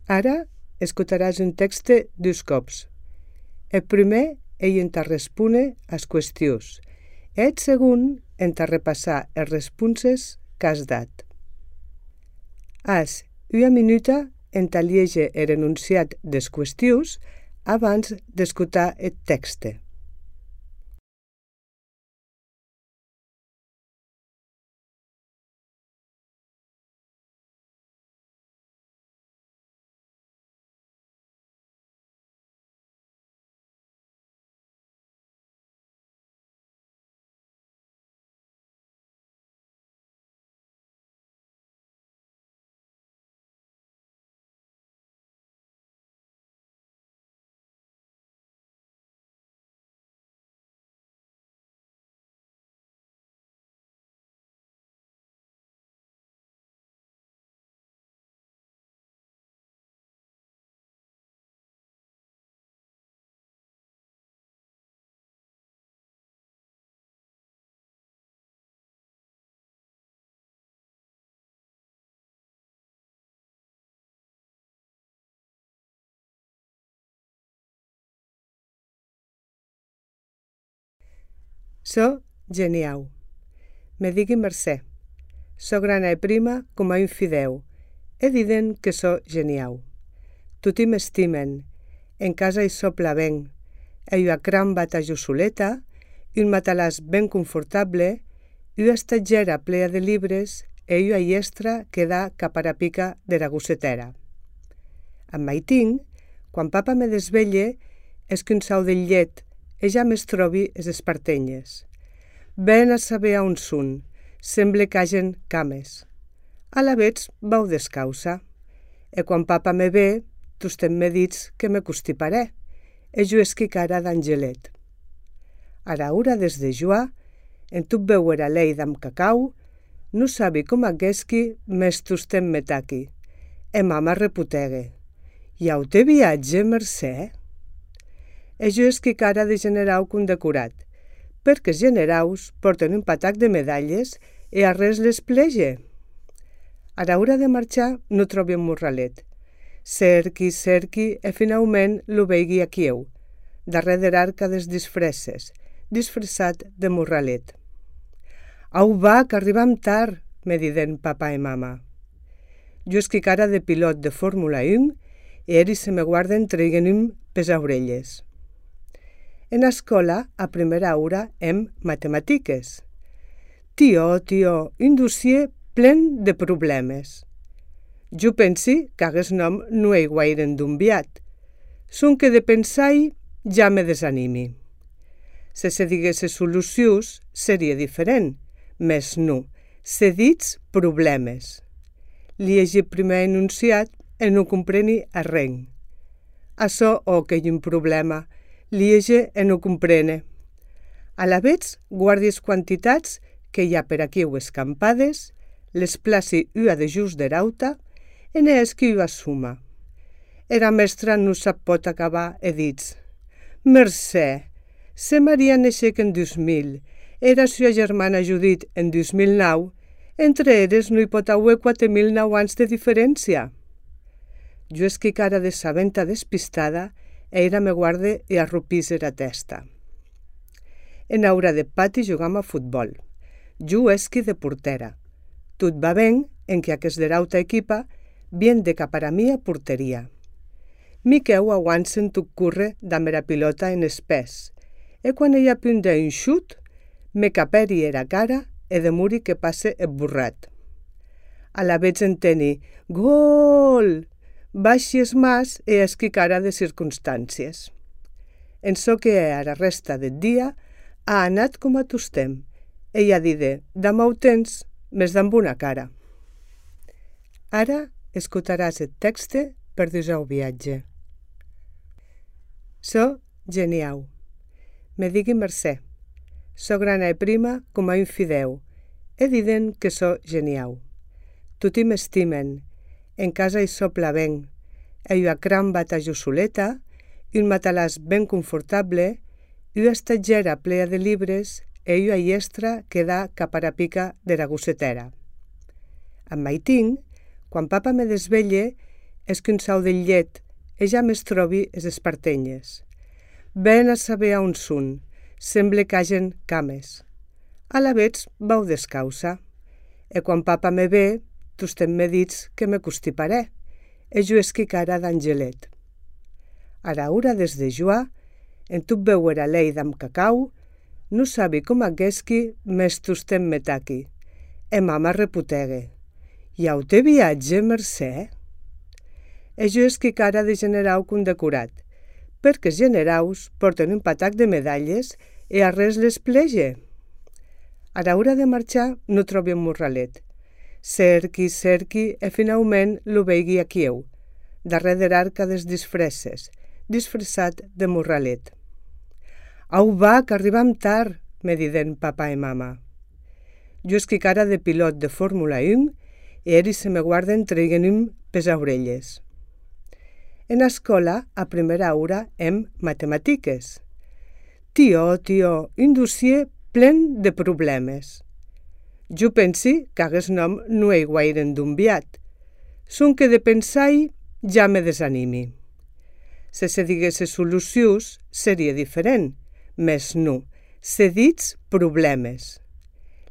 Ara escutaràs un text dos cops. El primer ell en respone as qüestions. El segon en repassar els responses que has dat. Has una minuta en llegir el enunciat des qüestions abans d'escoltar el text. So genial. Me digui Mercè. So grana e prima com a un fideu. He diden que so genial. Tutti m'estimen. En casa hi sopla ben. Ei una gran bata jussoleta, un matalàs ben confortable, una estatgera plea de llibres e una llestra que da cap a la pica de la gossetera. Amb maitinc, quan papa me desvelle, és que un sau del llet e ja m'es trobi es espartenyes. Ben a saber on són, sembla que hagen cames. A la vets vau descausa, e quan papa me ve, tostem me dits que me constiparé, e jo esqui cara d'angelet. A la hora des de joar, en tot veure a lei d'am cacau, no sabi com aguesqui mes tostem me taqui, e mama reputegue. I au te viatge, Mercè? E jo esqui cara de generau condecorat, perquè els generaus porten un patac de medalles e a res les plege. A l'hora de marxar no trobi un morralet. Cerqui e finalment lo veigui a quieu, darrere de l'arca des disfresses, disfressat de morralet. Au va, que arribam tard, me diden papa i mama. Jo esqui cara de pilot de Fórmula 1 e eri se me guarden treiguen-me pes orelles. En escola, a primera hora, hem matematiques. Tio, un dossier plen de problemes. Jo pensi que aguest nom no ei guaire endumbiat. Son que de pensar-hi ja me desanimi. Se diguesse solucions, seria diferent, mes no, se dits problemes. Liegi primer enunciat e no compreni arren. Açò o que hi un problema, liege e no comprene. A la vets guardies quantitats que hi ha per aquí o escampades, les placi ua de just derauta, e ne esqui ua suma. Era mestra no sap pot acabar e dits. Mercè, se Maria neixec en 2000, era sua germana Judit en 2009, entre eres no hi pot haver 4.009 anys de diferència. Jo esqui cara de sabenta despistada, era me guarde e arrupís era testa. En aura de pati jugam a futbol. Jo esqui de portera. Tot va ben en que aquest derauta equipa bien de cap a mia porteria. Miqueu aguansen tot curre damb era pilota en espès, e quan ella punta un xut, me caperi era cara e demuri que passe el burrat. A la vez enteni, gol! Baixi es mas e esqui cara de circumstàncies. En so que a la resta del dia ha anat com a tostem. Ella dide, demà ho tens, més damb una cara. Ara escoltaràs el text per dir-ho viatge. So genial. Me digui Mercè. So grana e prima com a un fideu. He diden que so genial. Tutti m'estimen. En casa hi sopla ben. Ei una gran bata jussoleta, un matalàs ben confortable, una estatgera plea de llibres e una llestra que da cap a la pica de la gossetera. Amb maitinc, quan papa me desvelle, és que un sau de llet e ja més trobi es espartenyes. Ben a saber on són, sembla que hagen cames. A la vets vau descausa, e quan papa me ve, tostem me dits que me constiparé, e jo esqui cara d'angelet. Ara ura des de joar, en tot beure a lei d'am cacau, no sabi com aguesqui mes tostem me taqui, e mama reputegue. Iau te viatge, Mercè? E jo esqui cara de generau condecorat, perquè els generaus porten un patac de medalles e a res les plege. A l'hora de marxar no trobi un morralet. Cerqui e finalment lo veigui a Kieu, darrere de l'arca des disfresses, disfressat de morralet. Au va, que arribam tard, me diden papa i mama. Jo esqui cara de pilot de Fórmula 1 e ells se me guarden traient-me pes orelles. En escola, a primera hora, hem matematiques. Tio, un dossier plen de problemes. Jo pensi que aguest nom no he guaire endumbiat. Sonque de pensar-hi ja me desanimi. Se diguesse solucions, seria diferent, mes no, se dits problemes.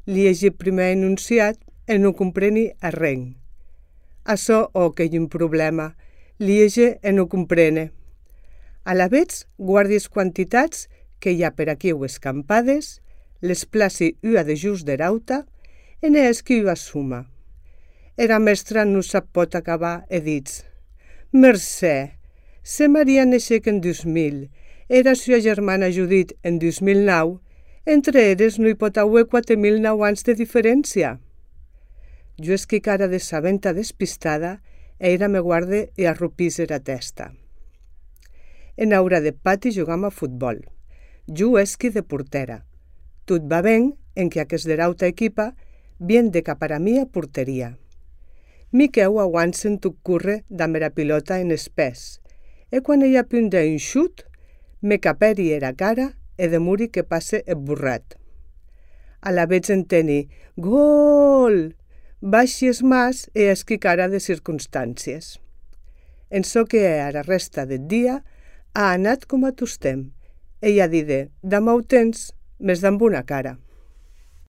Liegi primer enunciat e no compreni arren. Açò que hi un problema, liege e no comprene. A la vets guardies quantitats que hi ha per aquí o escampades, les placi ua de just derauta, en esqui ua suma. Era mestra no sap pot acabar e dits. Mercè, se Maria neixec en 2000, era sua germana Judit en 2009, entre eres no hi pot haver 4.009 anys de diferència. Jo esqui cara de sabenta despistada, era me guarde e arrupís era testa. En aura de pati jugam a futbol. Jo esqui de portera. Tot va ben en que aquest derauta equipa bien de cap a mi a porteria. Miqueu aguansen tot curre damb era pilota en espès, e quan ella punta un xut, me caperi era cara e demuri que passe esborrat. A la vez enteni, gol! Baixi es mas e esqui cara de circumstàncies. En so que a la resta del dia ha anat com a tostem. Ella dide, damb ho tens, mes damb una cara.